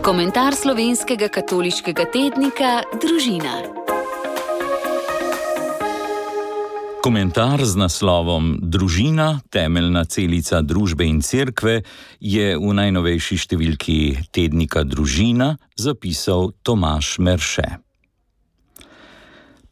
Komentar slovenskega katoliškega tednika Družina. Komentar z naslovom Družina, temeljna celica družbe in cerkve je v najnovejši številki tednika Družina zapisal Tomaž Merše.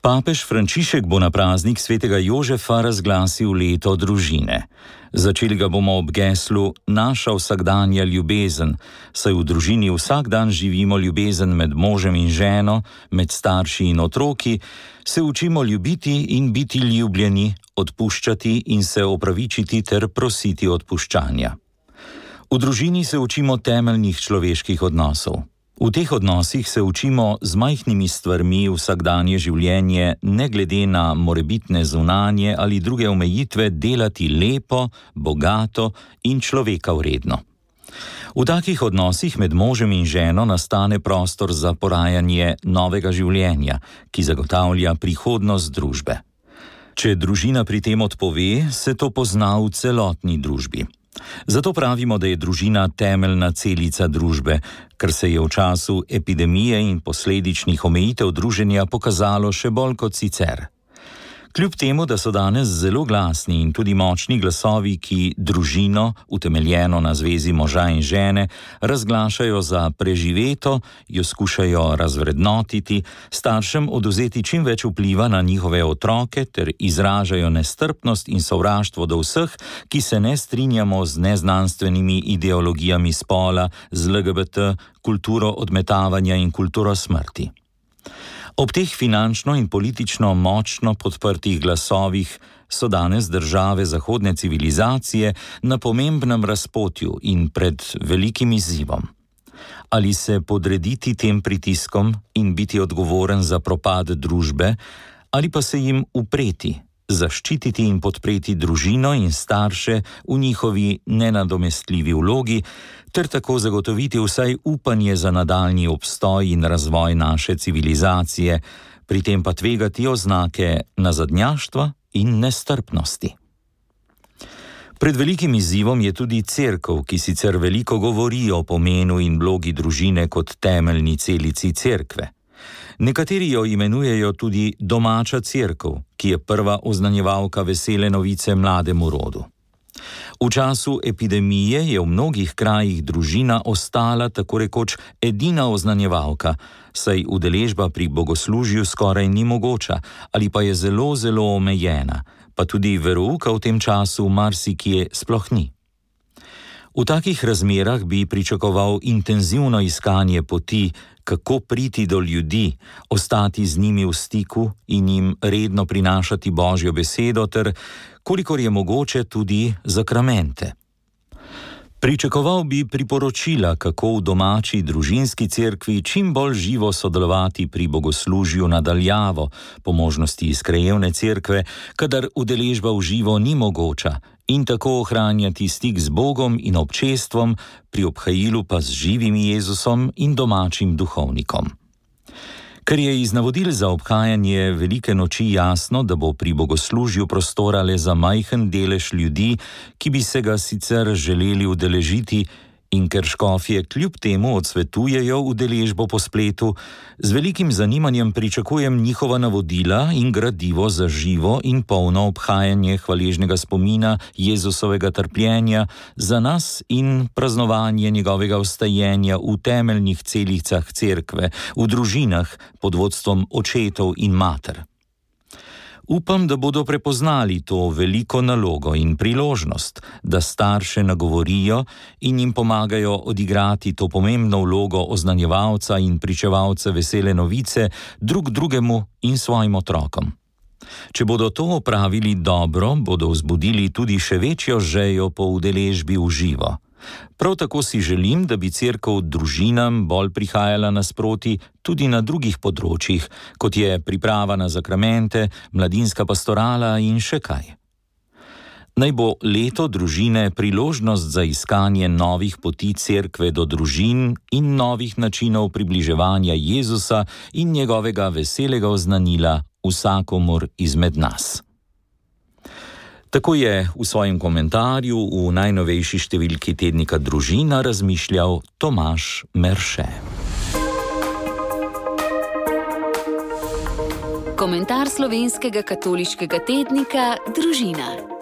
Papež Frančišek bo na praznik svetega Jožefa razglasil leto družine. Začeli ga bomo ob geslu Naša vsakdanja ljubezen, saj v družini vsak dan živimo ljubezen med možem in ženo, med starši in otroki, se učimo ljubiti in biti ljubljeni, odpuščati in se opravičiti ter prositi odpuščanja. V družini se učimo temeljnih človeških odnosov. V teh odnosih se učimo z majhnimi stvarmi vsakdanje življenje, ne glede na morebitne zunanje ali druge omejitve, delati lepo, bogato in človeka vredno. V takih odnosih med možem in ženo nastane prostor za porajanje novega življenja, ki zagotavlja prihodnost družbe. Če družina pri tem odpove, se to pozna v celotni družbi. Zato pravimo, da je družina temeljna celica družbe, kar se je v času epidemije in posledičnih omejitev druženja pokazalo še bolj kot sicer. Kljub temu, da so danes zelo glasni in tudi močni glasovi, ki družino, utemeljeno na zvezi moža in žene, razglašajo za preživeto, jo skušajo razvrednotiti, staršem odvzeti čim več vpliva na njihove otroke ter izražajo nestrpnost in sovraštvo do vseh, ki se ne strinjamo z neznanstvenimi ideologijami spola, z LGBT, kulturo odmetavanja in kulturo smrti. Ob teh finančno in politično močno podprtih glasovih so danes države zahodne civilizacije na pomembnem razpotju in pred velikim izzivom. Ali se podrediti tem pritiskom in biti odgovoren za propad družbe, ali pa se jim upreti, zaščititi in podpreti družino in starše v njihovi nenadomestljivi vlogi, ter tako zagotoviti vsaj upanje za nadaljnji obstoj in razvoj naše civilizacije, pri tem pa tvegati oznake nazadnjaštva in nestrpnosti. Pred velikim izzivom je tudi cerkev, ki sicer veliko govori o pomenu in vlogi družine kot temeljni celici cerkve. Nekateri jo imenujejo tudi domača cerkev, ki je prva oznanjevalka vesele novice mlademu rodu. V času epidemije je v mnogih krajih družina ostala tako rekoč edina oznanjevalka, saj udeležba pri bogoslužju skoraj ni mogoča ali pa je zelo, zelo omejena, pa tudi verouka v tem času marsikje sploh ni. V takih razmerah bi pričakoval intenzivno iskanje poti, kako priti do ljudi, ostati z njimi v stiku in jim redno prinašati Božjo besedo ter, kolikor je mogoče, tudi zakramente. Pričakoval bi priporočila, kako v domači družinski cerkvi čim bolj živo sodelovati pri bogoslužju na daljavo, po možnosti iz krajevne cerkve, kadar udeležba v živo ni mogoča, in tako ohranjati stik z Bogom in občestvom, pri obhajilu pa z živim Jezusom in domačim duhovnikom. Ker je iz navodil za obhajanje velike noči jasno, da bo pri bogoslužju prostora le za majhen delež ljudi, ki bi se ga sicer želeli udeležiti, in ker škofje kljub temu odsvetujejo udeležbo po spletu, z velikim zanimanjem pričakujem njihova navodila in gradivo za živo in polno obhajanje hvaležnega spomina Jezusovega trpljenja za nas in praznovanje njegovega vstajenja v temeljnih celicah cerkve, v družinah pod vodstvom očetov in mater. Upam, da bodo prepoznali to veliko nalogo in priložnost, da starše nagovorijo in jim pomagajo odigrati to pomembno vlogo oznanjevalca in pričevalca vesele novice drug drugemu in svojim otrokom. Če bodo to opravili dobro, bodo vzbudili tudi še večjo žejo po udeležbi v živo. Prav tako si želim, da bi cerkev družinam bolj prihajala nasproti tudi na drugih področjih, kot je priprava na zakramente, mladinska pastorala in še kaj. Naj bo leto družine priložnost za iskanje novih poti cerkve do družin in novih načinov približevanja Jezusa in njegovega veselega oznanila vsakomur izmed nas. Tako je v svojem komentarju v najnovejši številki tednika Družina razmišljal Tomaž Merše. Komentar slovenskega katoliškega tednika Družina.